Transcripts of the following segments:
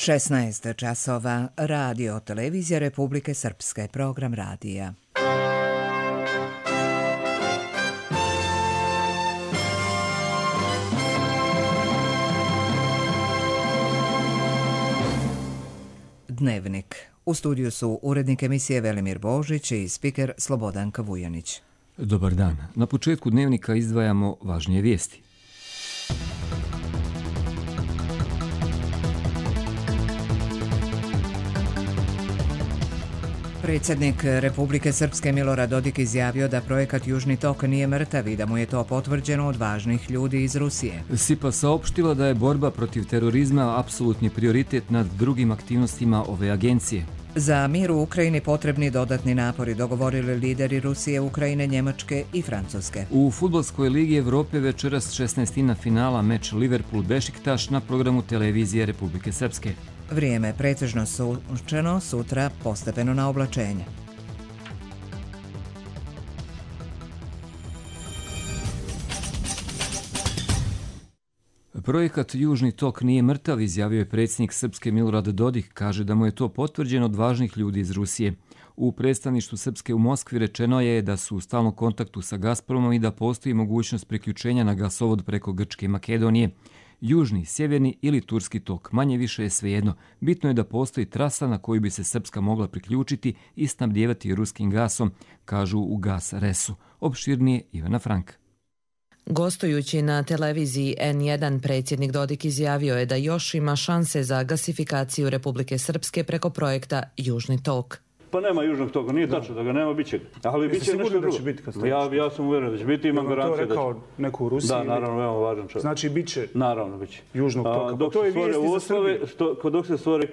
16 časova, radio, televizija Republike Srpske, program radija. Dnevnik. U studiju su urednik emisije Velimir Božić i spiker Slobodanka Vujanić. Dobar dan. Na početku dnevnika izdvajamo važnije vijesti. Predsjednik Republike Srpske Milorad Dodik izjavio da projekat Južni tok nije mrtav i da mu je to potvrđeno od važnih ljudi iz Rusije. SIPA saopštila da je borba protiv terorizma apsolutni prioritet nad drugim aktivnostima ove agencije. Za mir u Ukrajini potrebni dodatni napori, dogovorili lideri Rusije, Ukrajine, Njemačke i Francuske. U Fudbalskoj ligi Evrope večeras 16. finala meč Liverpool-Bešiktaš na programu televizije Republike Srpske. Vrijeme pretežno sunčano, sutra postepeno na oblačenje. Projekat Južni tok nije mrtav, izjavio je predsjednik Srpske Milorad Dodik, kaže da mu je to potvrđeno od važnih ljudi iz Rusije. U predstavništvu Srpske u Moskvi rečeno je da su u stalnom kontaktu sa Gazpromom i da postoji mogućnost priključenja na gasovod preko Grčke i Makedonije. Južni, sjeverni ili turski tok, manje više je svejedno. Bitno je da postoji trasa na koju bi se Srpska mogla priključiti i snabdijevati ruskim gasom, kažu u Gas Resu. Opširnije Ivana Frank. Gostujući na televiziji N1, predsjednik Dodik izjavio je da još ima šanse za gasifikaciju Republike Srpske preko projekta Južni tok. Pa nema Južnog toka, nije tačno da ga nema, bit će ga. Ali bit će nešto drugo. Ja sam uvjeren da će biti, imam garancije da će. To rekao neko u Rusiji? Da, naravno, veoma važan čovjek. Znači bit će Južnog toka. Dok se stvori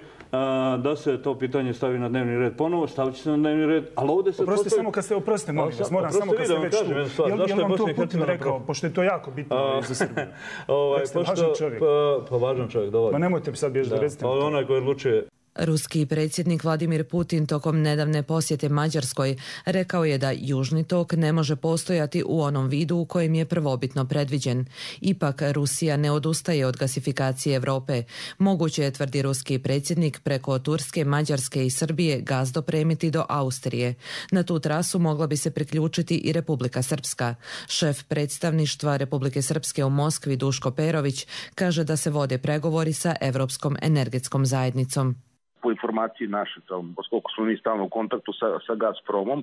da se to pitanje stavi na dnevni red ponovo, stavit će se na dnevni red, ali ovdje se... Oprostite, molim vas, moram samo kad ste već tu. Jel vam to Putin rekao, pošto je to jako bitno za Srbiju? Važan čovjek. Pa važan čovjek, dovoljno. Ma nemojte mi sad bježiti da recite. Onaj koji odlučuje. Ruski predsjednik Vladimir Putin tokom nedavne posjete Mađarskoj rekao je da Južni tok ne može postojati u onom vidu u kojem je prvobitno predviđen. Ipak Rusija ne odustaje od gasifikacije Evrope. Moguće je, tvrdi ruski predsjednik, preko Turske, Mađarske i Srbije gas dopremiti do Austrije. Na tu trasu mogla bi se priključiti i Republika Srpska. Šef predstavništva Republike Srpske u Moskvi Duško Perović kaže da se vode pregovori sa Evropskom energetskom zajednicom. Po informaciji naše, poskoliko smo mi stalno u kontaktu sa Gazpromom,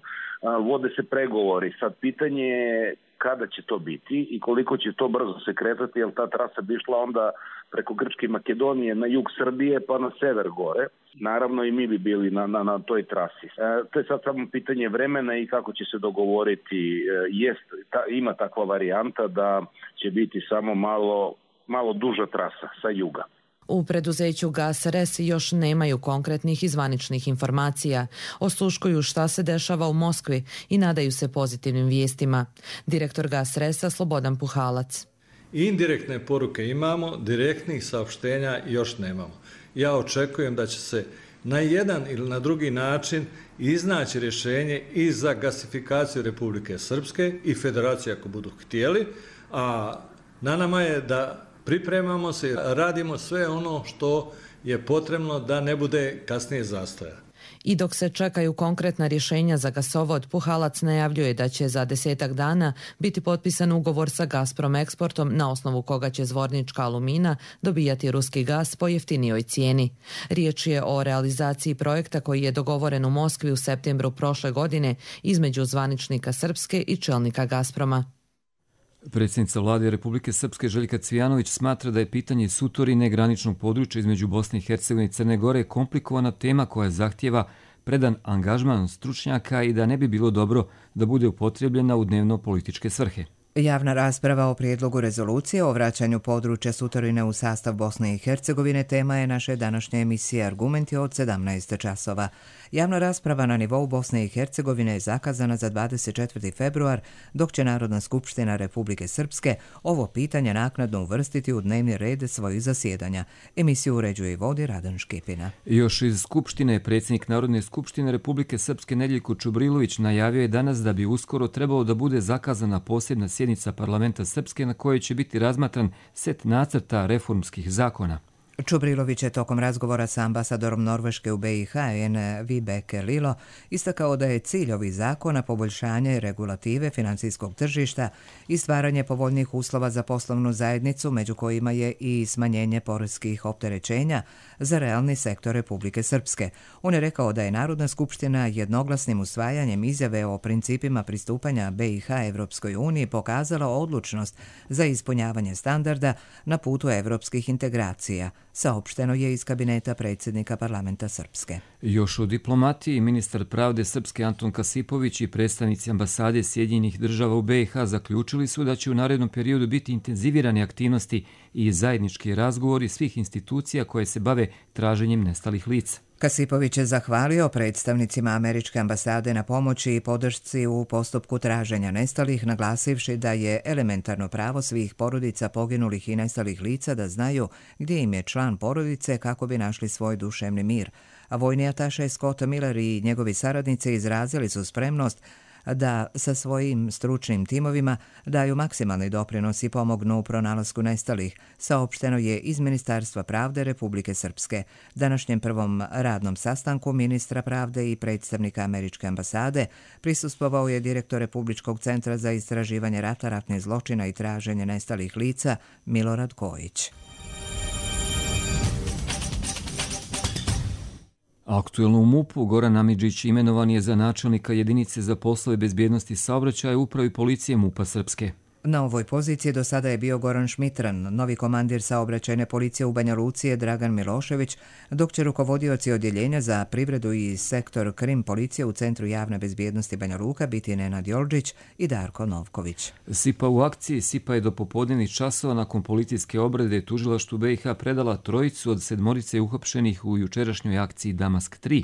vode se pregovori. Sad pitanje je kada će to biti i koliko će to brzo se kretati, jer ta trasa bi išla onda preko Grčke i Makedonije na jug Srbije pa na sever gore. Naravno i mi bi bili na toj trasi. To je sad samo pitanje vremena i kako će se dogovoriti. Ima takva varijanta da će biti samo malo duža trasa sa juga. U preduzeću Gas Res još nemaju konkretnih i zvaničnih informacija. Osluškuju šta se dešava u Moskvi i nadaju se pozitivnim vijestima. Direktor Gas Resa Slobodan Puhalac. Indirektne poruke imamo, direktnih saopštenja još nemamo. Ja očekujem da će se na jedan ili na drugi način iznaći rješenje i za gasifikaciju Republike Srpske i Federacije ako budu htjeli, a na nama je da pripremamo se i radimo sve ono što je potrebno da ne bude kasnije zastoja. I dok se čekaju konkretna rješenja za gasovod, Puhalac najavljuje da će za 10 dana biti potpisan ugovor sa Gazprom Eksportom na osnovu koga će Zvornička Alumina dobijati ruski gas po jeftinijoj cijeni. Riječ je o realizaciji projekta koji je dogovoren u Moskvi u septembru prošle godine između zvaničnika Srpske i čelnika Gazproma. Predsjednica Vlade Republike Srpske Željka Cvijanović smatra da je pitanje Sutorine, graničnog područja između Bosne i Hercegovine i Crne Gore, komplikovana tema koja zahtijeva predan angažman stručnjaka i da ne bi bilo dobro da bude upotrijebljena u dnevno-političke svrhe. Javna rasprava o prijedlogu rezolucije o vraćanju područja Sutorine u sastav Bosne i Hercegovine tema je naše današnje emisije Argumenti od 17 časova. Javna rasprava na nivou Bosne i Hercegovine je zakazana za 24. februar, dok će Narodna skupština Republike Srpske ovo pitanje naknadno uvrstiti u dnevni red svojih zasjedanja. Emisiju uređuje i vodi Radan Škipina. Još iz Skupštine, predsjednik Narodne skupštine Republike Srpske Nedjeljko Čubrilović najavio je danas da bi uskoro trebalo da bude zakazana posebna sjednica parlamenta Srpske na kojoj će biti razmatran set nacrta reformskih zakona. Čubrilović je tokom razgovora sa ambasadorom Norveške u BiH Vibeke Lilo istakao da je cilj ovih zakona poboljšanje regulative financijskog tržišta i stvaranje povoljnih uslova za poslovnu zajednicu, među kojima je i smanjenje poreskih opterećenja za realni sektor Republike Srpske. On je rekao da je Narodna skupština jednoglasnim usvajanjem izjave o principima pristupanja BiH Evropskoj uniji pokazala odlučnost za ispunjavanje standarda na putu evropskih integracija, saopšteno je iz kabineta predsjednika parlamenta Srpske. Još o diplomatiji, ministar pravde Srpske Anton Kasipović i predstavnici ambasade Sjedinjenih država u BiH zaključili su da će u narednom periodu biti intenzivirane aktivnosti i zajednički razgovori svih institucija koje se bave traženjem nestalih lica. Kasipović je zahvalio predstavnicima američke ambasade na pomoći i podršci u postupku traženja nestalih, naglasivši da je elementarno pravo svih porodica poginulih i nestalih lica da znaju gdje im je član porodice kako bi našli svoj duševni mir. A vojni ataše Scott Miller i njegovi saradnici izrazili su spremnost da sa svojim stručnim timovima daju maksimalni doprinos i pomognu u pronalasku nestalih, saopšteno je iz Ministarstva pravde Republike Srpske. Današnjem prvom radnom sastanku ministra pravde i predstavnika američke ambasade prisustvovao je direktor Republičkog centra za istraživanje rata, ratnih zločina i traženje nestalih lica Milorad Kojić. Aktuelno u MUP-u Goran Amidžić imenovan je za načelnika jedinice za poslove bezbjednosti saobraćaja u upravi policije MUP-a Srpske. Na ovoj poziciji do sada je bio Goran Šmitran, novi komandir saobraćajne policije u Banja Luci je Dragan Milošević, dok će rukovodioci odjeljenja za privredu i sektor krim policije u Centru javne bezbjednosti Banja Luka biti Nenad Jolđić i Darko Novković. SIPA u akciji. SIPA je do popodnevnih časova nakon policijske obrade tužilaštvu BiH predala trojicu od 7 uhapšenih u jučerašnjoj akciji Damask 3.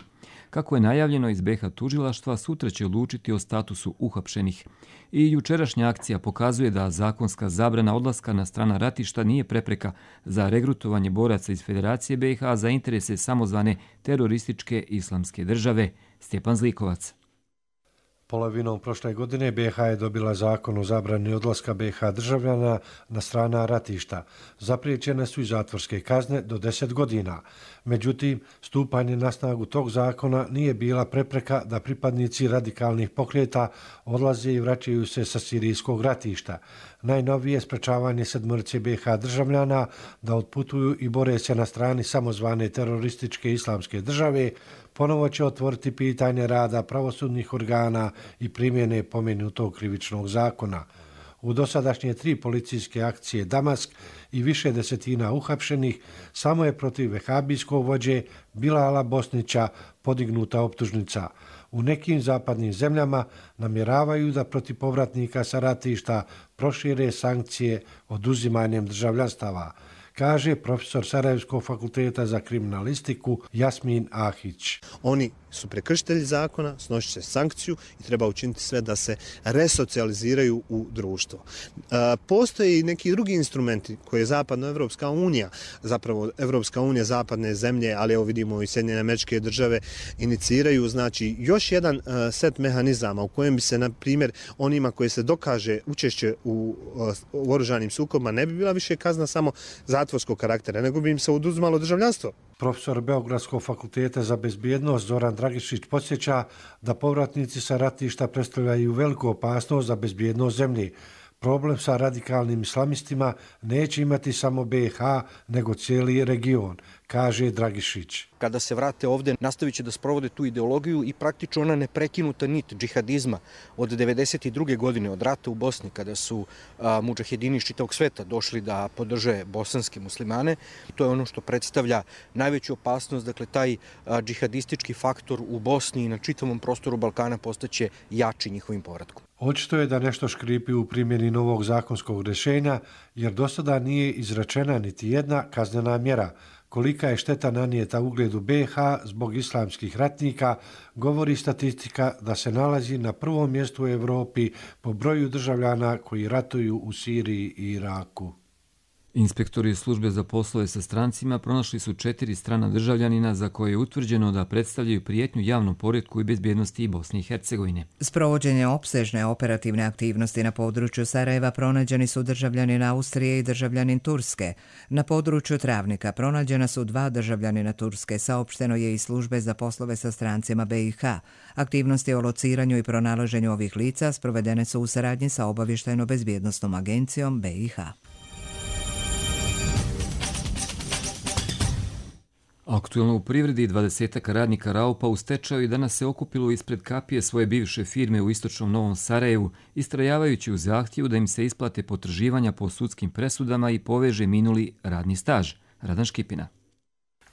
Kako je najavljeno iz BiH tužilaštva, sutra će odlučiti o statusu uhapšenih. I jučerašnja akcija pokazuje da zakonska zabrana odlaska na strana ratišta nije prepreka za regrutovanje boraca iz Federacije BiH za interese samozvane terorističke islamske države. Stjepan Zlikovac. Polovinom prošle godine BiH je dobila zakon o zabrani odlaska BiH državljana na strana ratišta. Zapriječene su i zatvorske kazne do 10 godina. Međutim, stupanje na snagu tog zakona nije bila prepreka da pripadnici radikalnih pokreta odlaze i vraćaju se sa sirijskog ratišta. Najnovije sprečavanje 7 BiH državljana da otputuju i bore se na strani samozvane terorističke islamske države ponovo će otvoriti pitanje rada pravosudnih organa i primjene pomenutog krivičnog zakona. U dosadašnje 3 policijske akcije Damask i više desetina uhapšenih samo je protiv vehabijskog vođe Bilala Bosnića podignuta optužnica. U nekim zapadnim zemljama namjeravaju da protiv povratnika sa ratišta prošire sankcije oduzimanjem državljanstava, kaže profesor Sarajevskog fakulteta za kriminalistiku Jasmin Ahić. Oni su prekršitelji zakona, snosit će sankciju i treba učiniti sve da se resocijaliziraju u društvo. Postoje i neki drugi instrumenti koje je Zapadnoevropska unija, zapravo Evropska unija, zapadne zemlje, ali evo vidimo i Sjedinjene Američke Države, iniciraju, znači još jedan set mehanizama u kojem bi se, na primjer, onima koji se dokaže učešće u oružanim sukobima ne bi bila više kazna samo zatvorskog karaktera, nego bi im se oduzimalo državljanstvo. Profesor Beogradskog fakulteta za bezbjednost Zoran Dragišić podsjeća da povratnici sa ratišta predstavljaju veliku opasnost za bezbjednost zemlje. Problem sa radikalnim islamistima neće imati samo BiH, nego cijeli region, kaže Dragišić. Kada se vrate ovdje, nastavit će da sprovode tu ideologiju i praktično ona neprekinuta nit džihadizma od 1992. godine, od rata u Bosni, kada su mudžahedini iz čitavog sveta došli da podrže bosanske muslimane. To je ono što predstavlja najveću opasnost, dakle taj džihadistički faktor u Bosni i na čitavom prostoru Balkana postaće jači njihovim povratkom. Očito je da nešto škripi u primjeni novog zakonskog rješenja, jer do sada nije izrečena niti jedna kaznena mjera. Kolika je šteta nanijeta ugledu BiH zbog islamskih ratnika, govori statistika da se nalazi na prvom mjestu u Evropi po broju državljana koji ratuju u Siriji i Iraku. Inspektori službe za poslove sa strancima pronašli su 4 strana državljanina za koje je utvrđeno da predstavljaju prijetnju javnom poretku i bezbjednosti Bosne i Hercegovine. Sprovođenje opsežne operativne aktivnosti na području Sarajeva pronađeni su državljanin Austrije i državljanin Turske. Na području Travnika pronađena su 2 državljanina Turske, saopšteno je iz službe za poslove sa strancima BiH. Aktivnosti o lociranju i pronalaženju ovih lica sprovedene su u saradnji sa obavještajno-bezbjednosnom agencijom BiH. Aktuelno u privredi 20 radnika Raupa u stečaju i danas se okupilo ispred kapije svoje bivše firme u istočnom Novom Sarajevu, istrajavajući u zahtjevu da im se isplate potraživanja po sudskim presudama i poveže minuli radni staž. Radan Škipina.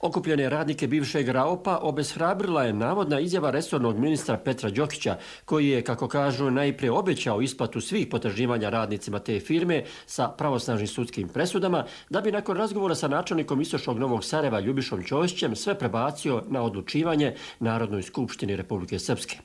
Okupljene radnike bivšeg Raupa obeshrabrila je navodna izjava resornog ministra Petra Đokića, koji je, kako kažu, najprije obećao isplatu svih potraživanja radnicima te firme sa pravosnažnim sudskim presudama, da bi nakon razgovora sa načelnikom istočnog Novog Sarajeva Ljubišom Ćosićem sve prebacio na odlučivanje Narodnoj skupštini Republike Srpske.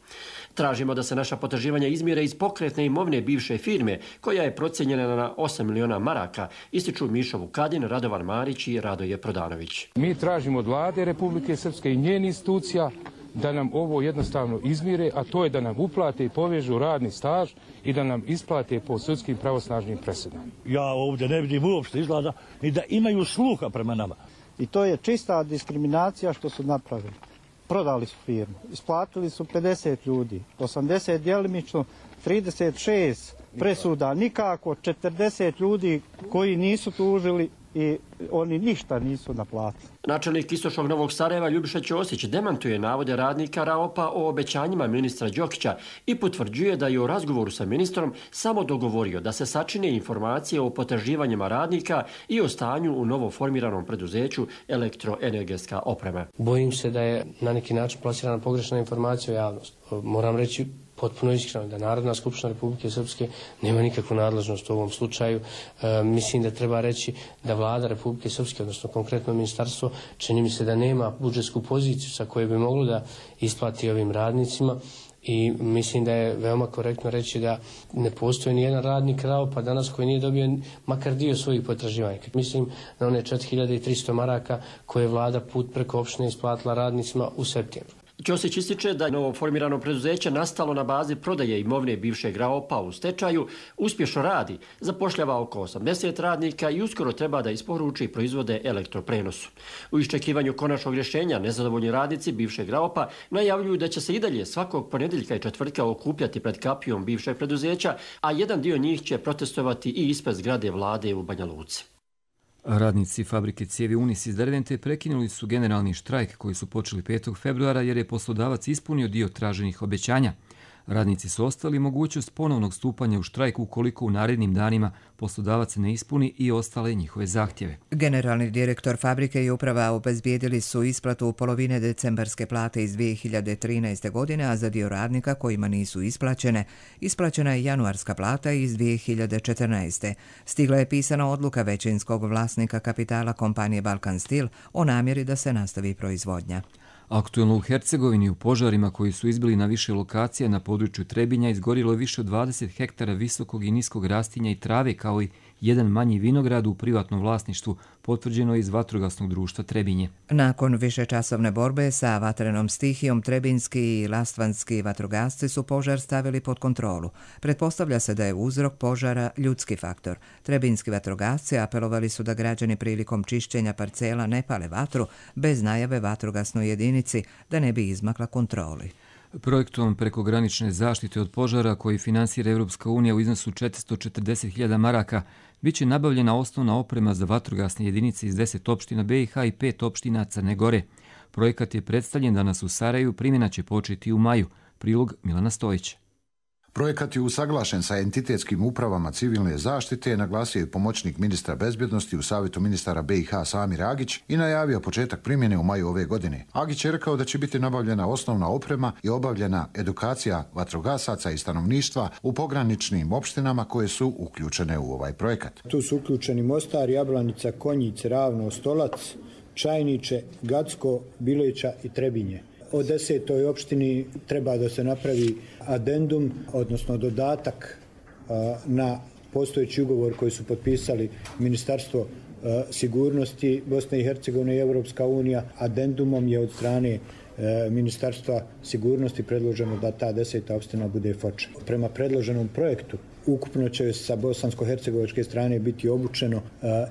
Tražimo da se naša potraživanja izmire iz pokretne imovine bivše firme, koja je procijenjena na 8 miliona maraka, ističu Mišo Vukadin, Radovan Marić i Radoje Prodanović. Mi tražimo od vlade Republike Srpske i njenih institucija da nam ovo jednostavno izmire, a to je da nam uplate i povežu radni staž i da nam isplate po sudskim pravosnažnim presudama. Ja ovdje ne vidim uopšte izgleda ni da imaju sluha prema nama. I to je čista diskriminacija što su napravili. Prodali su firmu, isplatili su 50 ljudi, 80 djelimično, 36 presuda, nikako 40 ljudi koji nisu tužili i oni ništa nisu naplatili. Načelnik istočnog Novog Sarajeva Ljubiša Ćosić demantuje navode radnika Raupa o obećanjima ministra Đokića i potvrđuje da je u razgovoru sa ministrom samo dogovorio da se sačine informacije o potraživanjima radnika i o stanju u novo formiranom preduzeću Elektroenergetska oprema. Bojim se da je na neki način plasirana pogrešna informacija u javnost. Moram reći potpuno iskreno da Narodna skupština Republike Srpske nema nikakvu nadležnost u ovom slučaju. Mislim da treba reći da vlada Republike Srpske, odnosno konkretno ministarstvo, čini mi se da nema budžetsku poziciju sa koje bi moglo da isplati ovim radnicima. I mislim da je veoma korektno reći da ne postoji nijedan radnik Raupa danas koji nije dobio makar dio svojih potraživanja. Mislim na one 4300 maraka koje je vlada put preko opštine isplatila radnicima u septembru. Ćosić ističe da je novo formirano preduzeće nastalo na bazi prodaje imovine bivšeg Raupa u stečaju, uspješno radi, zapošljava oko 80 radnika i uskoro treba da isporuči proizvode elektroprenosu. U iščekivanju konačnog rješenja nezadovoljni radnici bivšeg Raupa najavljuju da će se i dalje svakog ponedjeljka i četvrtka okupljati pred kapijom bivšeg preduzeća, a jedan dio njih će protestovati i ispred zgrade vlade u Banja Luci. Radnici fabrike cijevi Unis iz Dervente prekinuli su generalni štrajk koji su počeli 5. februara jer je poslodavac ispunio dio traženih obećanja. Radnici su ostali mogućnost ponovnog stupanja u štrajk ukoliko u narednim danima poslodavac ne ispuni i ostale njihove zahtjeve. Generalni direktor fabrike i uprava obezbijedili su isplatu polovine decembarske plate iz 2013. godine, a za dio radnika kojima nisu isplaćene, isplaćena je januarska plata iz 2014. Stigla je pisana odluka većinskog vlasnika kapitala kompanije Balkan Steel o namjeri da se nastavi proizvodnja. Aktuelno u Hercegovini u požarima koji su izbili na više lokacija na području Trebinja izgorilo je više od 20 hektara visokog i niskog rastinja i trave kao i jedan manji vinograd u privatnom vlasništvu, potvrđeno iz Vatrogasnog društva Trebinje. Nakon višečasovne borbe sa vatrenom stihijom, trebinski i lastvanski vatrogasci su požar stavili pod kontrolu. Pretpostavlja se da je uzrok požara ljudski faktor. Trebinski vatrogasci apelovali su da građani prilikom čišćenja parcela ne pale vatru bez najave vatrogasnoj jedinici da ne bi izmakla kontroli. Projektom prekogranične zaštite od požara koji finansira Europska unija u iznosu 440.000 maraka bit će nabavljena osnovna oprema za vatrogasne jedinice iz 10 opština BiH i 5 opština Crne Gore. Projekat je predstavljen danas u Sarajevu, primjena će početi u maju. Prilog Milana Stojića. Projekat je usaglašen sa entitetskim upravama civilne zaštite, naglasio je pomoćnik ministra bezbjednosti u Savjetu ministara BiH Samir Agić i najavio početak primjene u maju ove godine. Agić je rekao da će biti nabavljena osnovna oprema i obavljena edukacija vatrogasaca i stanovništva u pograničnim opštinama koje su uključene u ovaj projekat. Tu su uključeni Mostar, Jablanica, Konjic, Ravno, Stolac, Čajniče, Gacko, Bileća i Trebinje. O 10. opštini treba da se napravi adendum, odnosno dodatak na postojeći ugovor koji su potpisali Ministarstvo sigurnosti Bosne i Hercegovine i Europska unija. Adendumom je od strane Ministarstva sigurnosti predloženo da ta 10. opština bude Foča. Prema predloženom projektu ukupno će sa bosansko-hercegovačke strane biti obučeno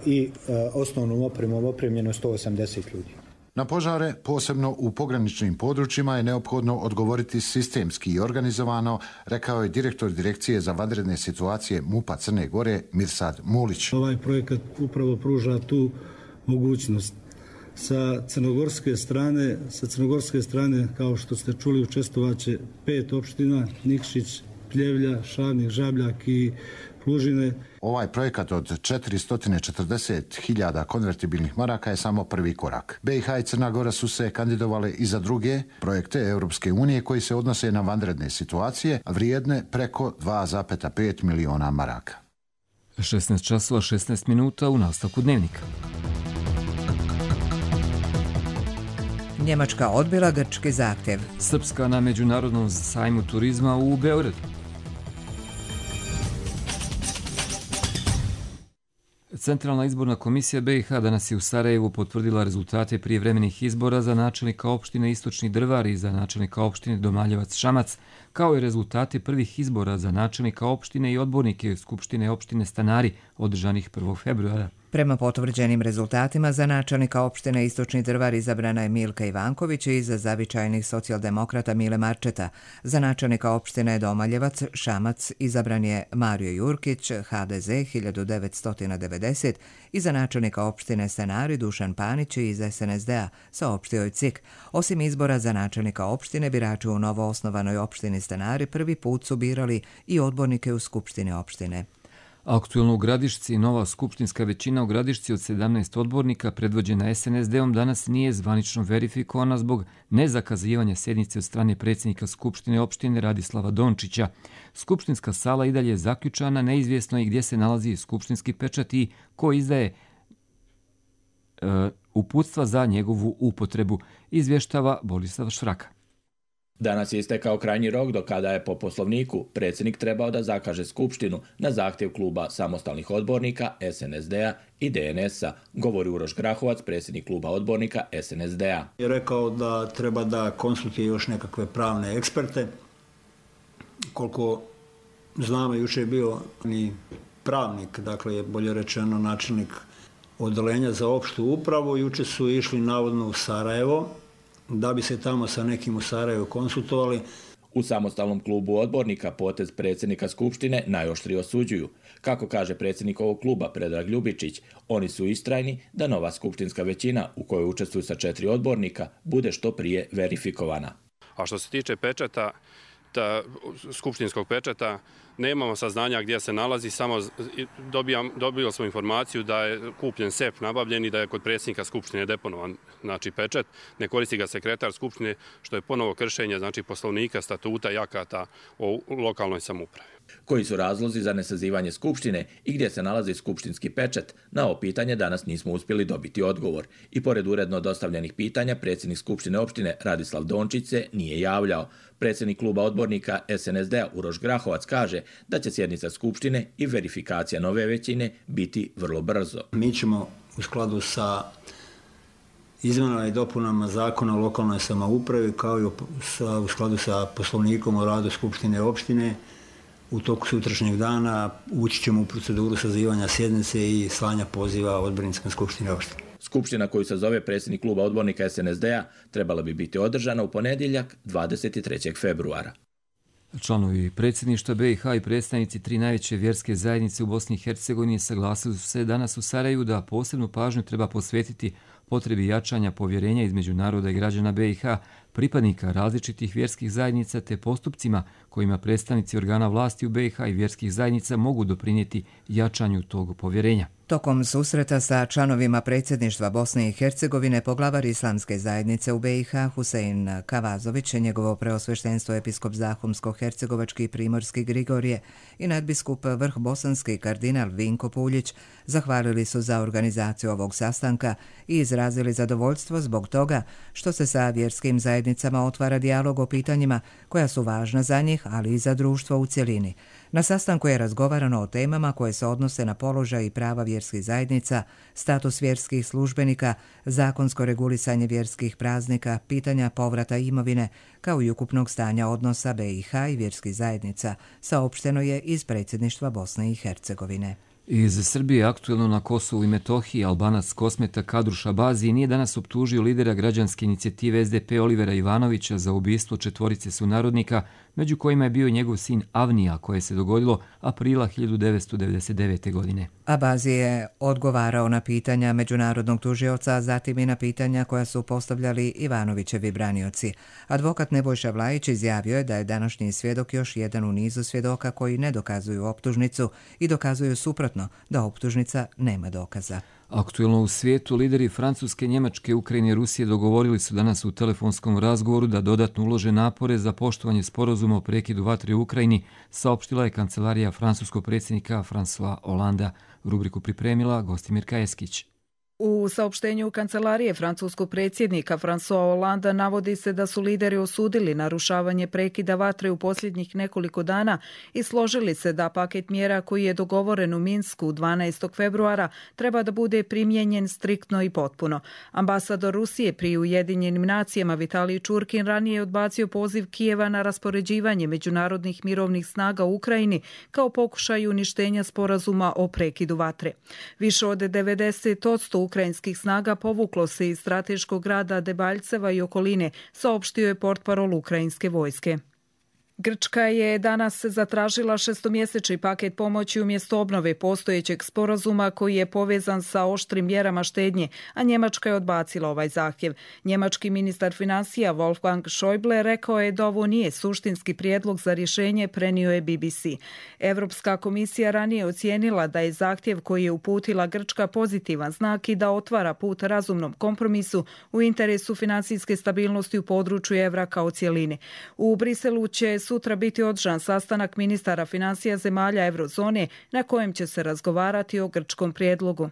i osnovnom opremom opremljeno 180 ljudi. Na požare, posebno u pograničnim područjima, je neophodno odgovoriti sistemski i organizovano, rekao je direktor Direkcije za vanredne situacije MUP-a Crne Gore Mirsad Mulić. Ovaj projekat upravo pruža tu mogućnost. Sa crnogorske strane, kao što ste čuli, učestvovaće 5 opština: Nikšić, Pljevlja, Šavnik, Žabljak i Plužine. Ovaj projekat od 440.000 konvertibilnih maraka je samo prvi korak. BiH i Crna Gora su se kandidovale i za druge projekte Europske unije koji se odnose na vanredne situacije, vrijedne preko 2,5 miliona maraka. 16 časova 16 minuta u nastavku dnevnika. Njemačka odbila grčki zahtjev. Srpska na međunarodnom sajmu turizma u Beogradu. Centralna izborna komisija BiH danas je u Sarajevu potvrdila rezultate prijevremenih izbora za načelnika opštine Istočni Drvar i za načelnika opštine Domaljevac Šamac, kao i rezultate prvih izbora za načelnika opštine i odbornike Skupštine opštine Stanari održanih 1. februara. Prema potvrđenim rezultatima za načelnika opštine Istočni Drvar izabrana je Milka Ivanković i za zavičajnih socijaldemokrata Mile Marčeta. Za načelnika opštine Domaljevac Šamac izabran je Mario Jurkić, HDZ 1990, i za načelnika opštine Stanari Dušan Panić iz SNSD-a, saopštio je CIK. Osim izbora za načelnika opštine, birači u novoosnovanoj opštini Stanari prvi put su birali i odbornike u Skupštini opštine. Aktuelno u Gradišci nova skupštinska većina u Gradišci od 17 odbornika predvođena SNSD-om danas nije zvanično verifikovana zbog nezakazivanja sjednice od strane predsjednika Skupštine opštine Radislava Dončića. Skupštinska sala i dalje je zaključana, neizvjesno i gdje se nalazi skupštinski pečat i ko izdaje uputstva za njegovu upotrebu, izvještava Borislav Švraka. Danas je istekao krajnji rok do kada je po poslovniku predsjednik trebao da zakaže skupštinu na zahtjev kluba samostalnih odbornika SNSD-a i DNS-a, govori Uroš Grahovac, predsjednik kluba odbornika SNSD-a. Je rekao da treba da konsultuje još nekakve pravne eksperte. Koliko znamo, juče je bio ni pravnik, dakle bolje rečeno načelnik odeljenja za opštu upravu, juče su išli navodno u Sarajevo, da bi se tamo sa nekim u Sarajevu konsultovali. U samostalnom klubu odbornika potez predsjednika Skupštine najoštrije osuđuju. Kako kaže predsjednik ovog kluba Predrag Ljubičić, oni su istrajni da nova skupštinska većina u kojoj učestvuju sa 4 odbornika bude što prije verifikovana. A što se tiče pečata, skupštinskog pečata, nemamo saznanja gdje se nalazi, samo dobio smo informaciju da je kupljen sef nabavljen i da je kod predsjednika Skupštine deponovan pečat. Ne koristi ga sekretar Skupštine, što je ponovo kršenje poslovnika, statuta i akata o lokalnoj samoupravi. Koji su razlozi za nesazivanje Skupštine i gdje se nalazi skupštinski pečat? Na ovo pitanje danas nismo uspjeli dobiti odgovor. I pored uredno dostavljenih pitanja, predsjednik Skupštine opštine Radislav Dončić se nije javljao. Predsjednik kluba odbornika SNSD-a Uroš Grahovac kaže da će sjednica Skupštine i verifikacija nove većine biti vrlo brzo. Mi ćemo u skladu sa izmjenama i dopunama zakona o lokalnoj samoupravi, kao i u skladu sa poslovnikom o radu Skupštine opštine, u toku sutrašnjeg dana ući ćemo u proceduru sazivanja sjednice i slanja poziva odbornicima Skupštine opštine. Skupština koju se zove predsjednik kluba odbornika SNSD-a trebala bi biti održana u ponedjeljak 23. februara. Članovi predsjedništva BiH i predstavnici 3 najveće vjerske zajednice u Bosni i Hercegovini saglasili su se danas u Sarajevu da posebnu pažnju treba posvetiti potrebi jačanja povjerenja između naroda i građana BiH, pripadnika različitih vjerskih zajednica te postupcima kojima predstavnici organa vlasti u BiH i vjerskih zajednica mogu doprinijeti jačanju tog povjerenja. Tokom susreta sa članovima predsjedništva Bosne i Hercegovine poglavar islamske zajednice u BiH Husein Kavazović, njegovo preosveštenstvo episkop Zahumsko-hercegovački primorski Grigorije i nadbiskup vrh bosanski kardinal Vinko Puljić zahvalili su za organizaciju ovog sastanka i izrazili zadovoljstvo zbog toga što se sa vjerskim zajednicama otvara dijalog o pitanjima koja su važna za njih, ali i za društvo u cjelini. Na sastanku je razgovarano o temama koje se odnose na položaj i prava vjerskih zajednica, status vjerskih službenika, zakonsko regulisanje vjerskih praznika, pitanja povrata imovine, kao i ukupnog stanja odnosa BiH i vjerskih zajednica, saopšteno je iz predsjedništva Bosne i Hercegovine. Iz Srbije aktuelno na Kosovu i Metohiji Albanac Kosmeta Kadru Šabazi nije danas optužio lidera građanske inicijative SDP Olivera Ivanovića za ubistvo 4 sunarodnika, među kojima je bio njegov sin Avnija, koje se dogodilo aprila 1999. godine. Abazi je odgovarao na pitanja međunarodnog tužioca, a zatim i na pitanja koja su postavljali Ivanovićevi branioci. Advokat Nebojša Vlajić izjavio je da je današnji svjedok još jedan u nizu svjedoka koji ne dokazuju optužnicu i dokazuju suprotno, da optužnica nema dokaza. Aktuelno u svijetu lideri Francuske, Njemačke, Ukrajine i Rusije dogovorili su danas u telefonskom razgovoru da dodatno ulože napore za poštovanje sporazuma o prekidu vatre u Ukrajini, saopštila je kancelarija francuskog predsjednika François Hollanda. Rubriku pripremila Gostimirka Eskić. U saopštenju kancelarije francuskog predsjednika François Hollanda navodi se da su lideri osudili narušavanje prekida vatre u posljednjih nekoliko dana i složili se da paket mjera koji je dogovoren u Minsku 12. februara treba da bude primijenjen striktno i potpuno. Ambasador Rusije pri Ujedinjenim nacijama Vitalij Čurkin ranije je odbacio poziv Kijeva na raspoređivanje međunarodnih mirovnih snaga u Ukrajini kao pokušaj uništenja sporazuma o prekidu vatre. Više od 90% ukrajinskih snaga povuklo se iz strateškog grada Debaljceva i okoline, saopštio je portparol ukrajinske vojske. Grčka je danas zatražila 6-mjesečni paket pomoći umjesto obnove postojećeg sporazuma koji je povezan sa oštrim mjerama štednje, a Njemačka je odbacila ovaj zahtjev. Njemački ministar financija Wolfgang Schäuble rekao je da ovo nije suštinski prijedlog za rješenje, prenio je BBC. Europska komisija ranije ocijenila da je zahtjev koji je uputila Grčka pozitivan znak i da otvara put razumnom kompromisu u interesu financijske stabilnosti u području evra kao cjeline. U Briselu će sutra biti održan sastanak ministara financija zemalja eurozone na kojem će se razgovarati o grčkom prijedlogu.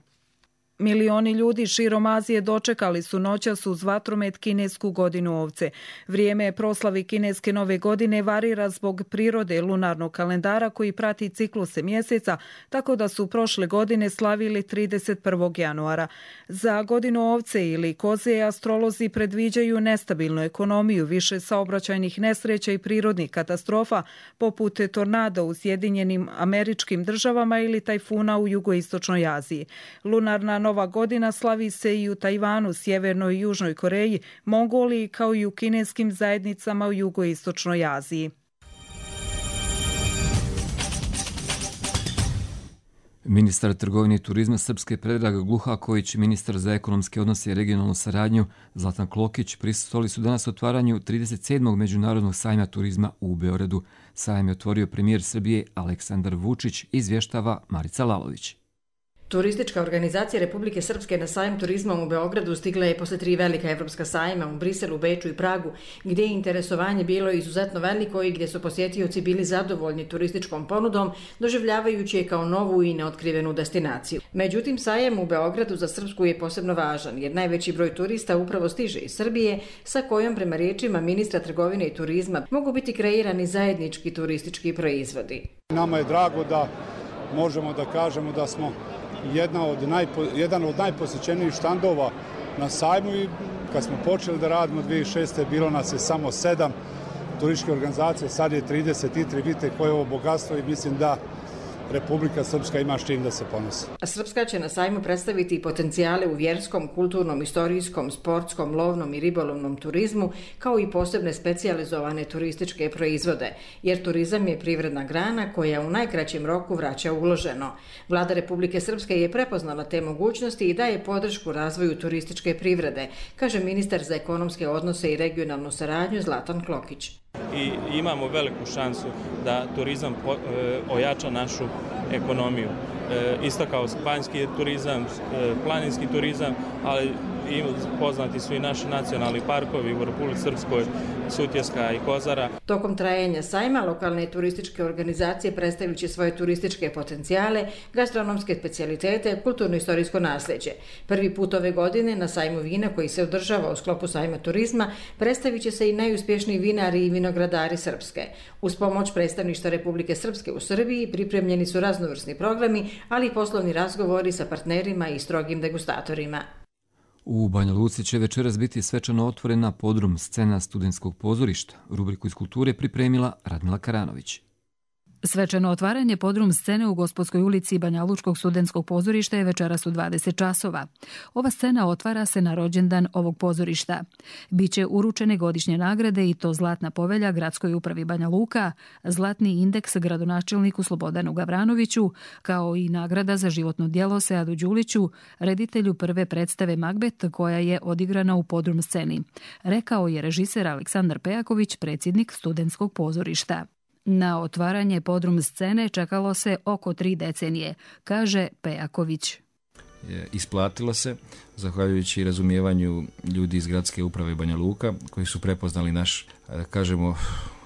Milioni ljudi širom Azije dočekali su noćas uz vatromet kinesku godinu ovce. Vrijeme proslavi kineske nove godine varira zbog prirode lunarnog kalendara koji prati cikluse mjeseca, tako da su prošle godine slavili 31. januara. Za godinu ovce ili koze astrolozi predviđaju nestabilnu ekonomiju, više saobraćajnih nesreća i prirodnih katastrofa, poput tornada u Sjedinjenim Američkim Državama ili tajfuna u jugoistočnoj Aziji. Lunarna Nova godina slavi se i u Tajvanu, Sjevernoj i Južnoj Koreji, Mongoliji kao i u kineskim zajednicama u jugoistočnoj Aziji. Ministar trgovine i turizma Srpske Predrag Gluhaković i ministar za ekonomske odnose i regionalnu saradnju Zlatan Klokić prisustvovali su danas otvaranju 37. međunarodnog sajma turizma u Beogradu. Sajam je otvorio premijer Srbije Aleksandar Vučić, izvještava Marica Lalović. Turistička organizacija Republike Srpske na sajam turizma u Beogradu stigla je posle 3 velika evropska sajma u Briselu, Beču i Pragu, gdje je interesovanje bilo izuzetno veliko i gdje su posjetioci bili zadovoljni turističkom ponudom, doživljavajući je kao novu i neotkrivenu destinaciju. Međutim, sajam u Beogradu za Srpsku je posebno važan, jer najveći broj turista upravo stiže iz Srbije, sa kojom, prema riječima ministra trgovine i turizma, mogu biti kreirani zajednički turistički proizvodi. Nama je drago da možemo da kažemo da smo jedan od najposjećenijih štandova na sajmu i kad smo počeli da radimo 2006. bilo nas je samo 7 turističke organizacije, sad je 33, vidite koje je ovo bogatstvo i mislim da Republika Srpska ima s čim da se ponosi. Srpska će na sajmu predstaviti potencijale u vjerskom, kulturnom, istorijskom, sportskom, lovnom i ribolovnom turizmu, kao i posebne specijalizovane turističke proizvode, jer turizam je privredna grana koja u najkraćem roku vraća uloženo. Vlada Republike Srpske je prepoznala te mogućnosti i daje podršku razvoju turističke privrede, kaže ministar za ekonomske odnose i regionalnu saradnju Zlatan Klokić. I imamo veliku šansu da turizam ojača našu ekonomiju. isto kao banjski turizam, planinski turizam, ali i poznati su i naši nacionalni parkovi u Republici Srpskoj, Sutjeska i Kozara. Tokom trajanja sajma lokalne turističke organizacije predstavit će svoje turističke potencijale, gastronomske specijalitete, kulturno-istorijsko nasljeđe. Prvi put ove godine na sajmu vina koji se održava u sklopu sajma turizma predstavit će se i najuspješniji vinari i vinogradari Srpske. Uz pomoć predstavništva Republike Srpske u Srbiji pripremljeni su raznovrsni programi, ali i poslovni razgovori sa partnerima i strogim degustatorima. U Banja Luci će večeras biti svečano otvorena podrum scena studentskog pozorišta. Rubriku iz kulture pripremila Radmila Karanović. Svečano otvaranje podrum scene u Gospodskoj ulici Banja Lučkog studentskog pozorišta je večeras u 20 časova. Ova scena otvara se na rođendan ovog pozorišta. Biće uručene godišnje nagrade i to Zlatna povelja Gradskoj upravi Banja Luka, Zlatni indeks gradonačelniku Slobodanu Gavranoviću, kao i nagrada za životno djelo Seadu Đuliću, reditelju prve predstave Magbet koja je odigrana u podrum sceni, rekao je režiser Aleksandar Pejaković, predsjednik studentskog pozorišta. Na otvaranje podrum scene čekalo se oko 3 decenije, kaže Pejaković. Isplatilo se, zahvaljujući razumijevanju ljudi iz Gradske uprave Banja Luka, koji su prepoznali naš, kažemo,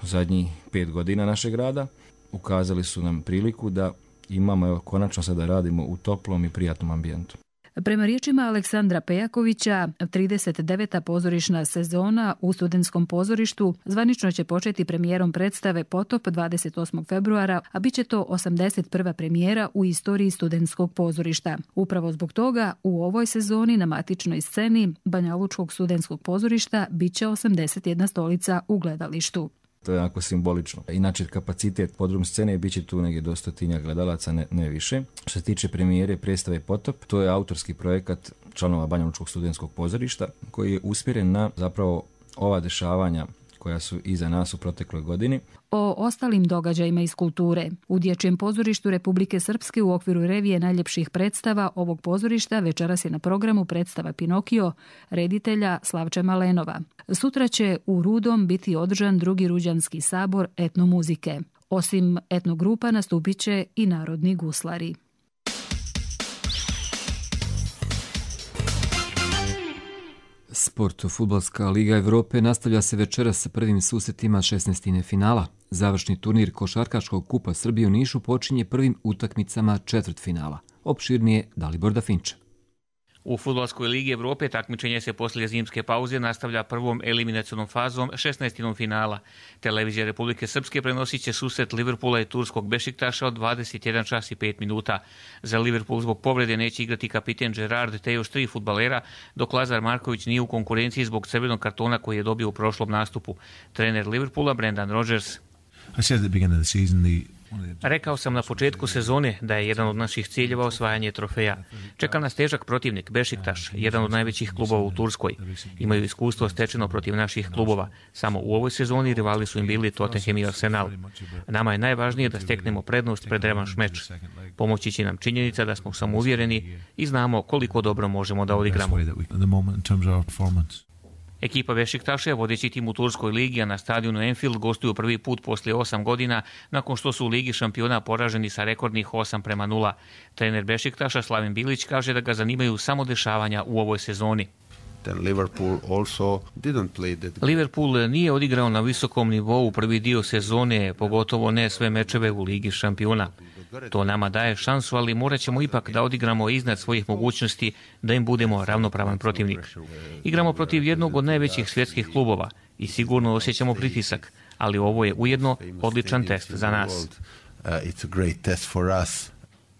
zadnjih 5 godina našeg rada. Ukazali su nam priliku da imamo, konačno sada radimo u toplom i prijatnom ambijentu. Prema riječima Aleksandra Pejakovića, 39. pozorišna sezona u studentskom pozorištu zvanično će početi premijerom predstave Potop 28. februara, a bit će to 81. premijera u istoriji studentskog pozorišta. Upravo zbog toga u ovoj sezoni na matičnoj sceni Banja Lučkog studentskog pozorišta bit će 81 stolica u gledalištu. To je onako simbolično. Inače, kapacitet podrum scene bit će tu negdje do 100 gledalaca, ne više. Što se tiče premijere predstave Potop, to je autorski projekat članova Banja Lučkog studentskog pozorišta koji je usmjeren na zapravo ova dešavanja koja su iza nas u protekloj godini. O ostalim događajima iz kulture. U Dječjem pozorištu Republike Srpske u okviru revije najljepših predstava ovog pozorišta večeras je na programu predstava Pinokio reditelja Slavče Malenova. Sutra će u Rudom biti održan drugi Ruđanski sabor etnomuzike. Osim etnogrupa nastupit će i narodni guslari. Sport. Fudbalska liga Evrope nastavlja se večeras sa prvim susretima 16. finala. Završni turnir Košarkaškog kupa Srbije u Nišu počinje prvim utakmicama četvrtfinala. Opširnije Dalibor Dafinča. U Fudbalskoj ligi Evrope takmičenje se poslije zimske pauze nastavlja prvom eliminacionom fazom 16. finala. Televizija Republike Srpske prenosit će susret Liverpoola i turskog Bešiktaša od 21 čas i 5 minuta. Za Liverpool zbog povrede neće igrati kapiten Gerard te još 3 fudbalera, dok Lazar Marković nije u konkurenciji zbog crvenog kartona koji je dobio u prošlom nastupu. Trener Liverpoola Brendan Rodgers. Rekao sam na početku sezone da je jedan od naših ciljeva osvajanje trofeja. Čeka nas težak protivnik, Bešiktaš, jedan od najvećih klubova u Turskoj. Imaju iskustvo stečeno protiv naših klubova. Samo u ovoj sezoni rivali su im bili Tottenham i Arsenal. Nama je najvažnije da steknemo prednost pred revanš meč. Pomoći će nam činjenica da smo samouvjereni i znamo koliko dobro možemo da odigramo. Ekipa Bešiktaša je vodeći tim u Turskoj ligi, a na stadionu Anfield gostuju prvi put poslije 8 godina nakon što su u Ligi šampiona poraženi sa rekordnih 8-0. Trener Bešiktaša Slaven Bilić kaže da ga zanimaju samo dešavanja u ovoj sezoni. Liverpool nije odigrao na visokom nivou prvi dio sezone, pogotovo ne sve mečeve u Ligi šampiona. To nama daje šansu, ali morat ćemo ipak da odigramo iznad svojih mogućnosti da im budemo ravnopravan protivnik. Igramo protiv jednog od najvećih svjetskih klubova i sigurno osjećamo pritisak, ali ovo je ujedno odličan test za nas.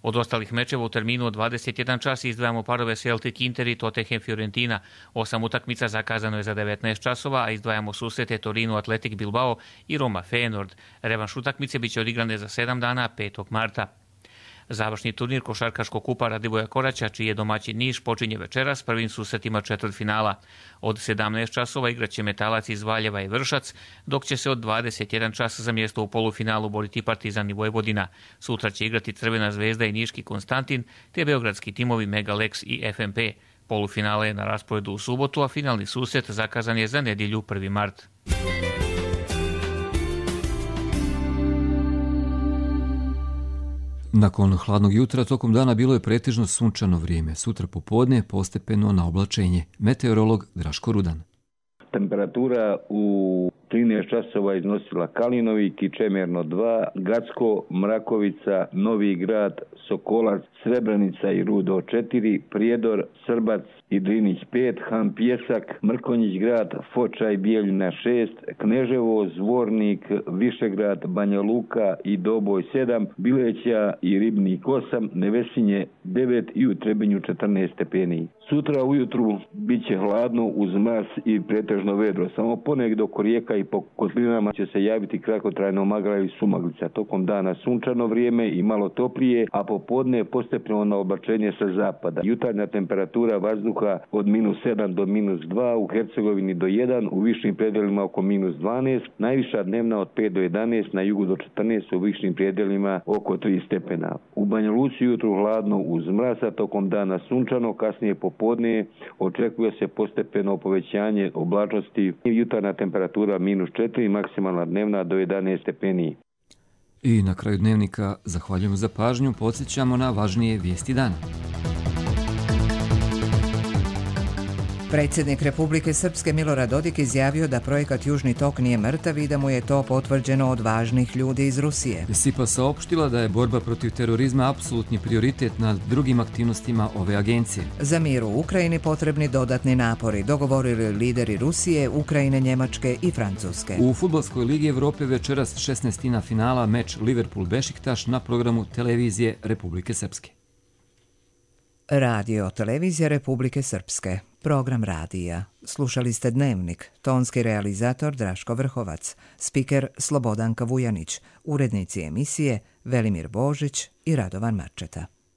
Od ostalih mečeva u terminu od 21 čas izdvajamo parove Celtic Inter i Tottenham Fiorentina. 8 utakmica zakazano je za 19 časova, a izdvajamo susrete Torino Athletic Bilbao i Roma Feyenoord. Revanš utakmice biće odigrane za 7 dana 5. marta. Završni turnir Košarkaškog kupa Radivoja Koraća, čiji je domaćin Niš, počinje večeras prvim susretima četvrtfinala. Od 17 časova igraće Metalac iz Valjeva i Vršac, dok će se od 21 čas za mjesto u polufinalu boriti Partizan i Vojvodina. Sutra će igrati Crvena zvezda i Niški Konstantin, te beogradski timovi Megalex i FMP. Polufinale je na rasporedu u subotu, a finalni susret zakazan je za nedjelju 1. mart. Nakon hladnog jutra tokom dana bilo je pretežno sunčano vrijeme. Sutra popodne postepeno na oblačenje. Meteorolog Draško Rudan. Temperatura u 13 časova iznosila Kalinovi, Kičemerno 2, Gacko, Mrakovica, Novi Grad, Sokolac, Srebrenica i Rudo 4, Prijedor, Srbac i Drinić 5, Han Pjesak, Mrkonjić grad, Foča i Bijeljina 6, Kneževo, Zvornik, Višegrad, Banja Luka i Doboj 7, Bileća i Ribnik 8, Nevesinje 9 i u Trebinju 14 stepeni. Sutra ujutru bit će hladno uz mraz i pretežno vedro. Samo ponegdje oko rijeka i po kotlinama će se javiti kratkotrajno magla ili sumaglica. Tokom dana sunčano vrijeme i malo toplije, a popodne postepeno na oblačenje sa zapada. Jutarnja temperatura vazduha od -7 do -2, u Hercegovini do 1, u višim predjelima oko -12, najviša dnevna od 5 do 11, na jugu do 14, u višim predjelima oko 3 stepena. U Banja Luci jutru hladno uz mraza, tokom dana sunčano, kasnije popodne očekuje se postepeno povećanje oblačnosti. Jutarnja temperatura -4, maksimalna dnevna do 11 stepeni. I na kraju dnevnika zahvaljujemo za pažnju, podsjećamo na važnije vijesti dana. Predsjednik Republike Srpske Milorad Dodik izjavio da projekat Južni tok nije mrtav i da mu je to potvrđeno od važnih ljudi iz Rusije. SIPA saopštila da je borba protiv terorizma apsolutni prioritet nad drugim aktivnostima ove agencije. Za mir u Ukrajini potrebni dodatni napori, dogovorili lideri Rusije, Ukrajine, Njemačke i Francuske. U Fudbalskoj ligi Evrope večeras 16. finala meč Liverpool-Bešiktaš na programu televizije Republike Srpske. Radio televizija Republike Srpske. Program radija. Slušali ste Dnevnik. Tonski realizator Draško Vrhovac. Spiker Slobodanka Vujanić. Urednici emisije Velimir Božić i Radovan Marčeta.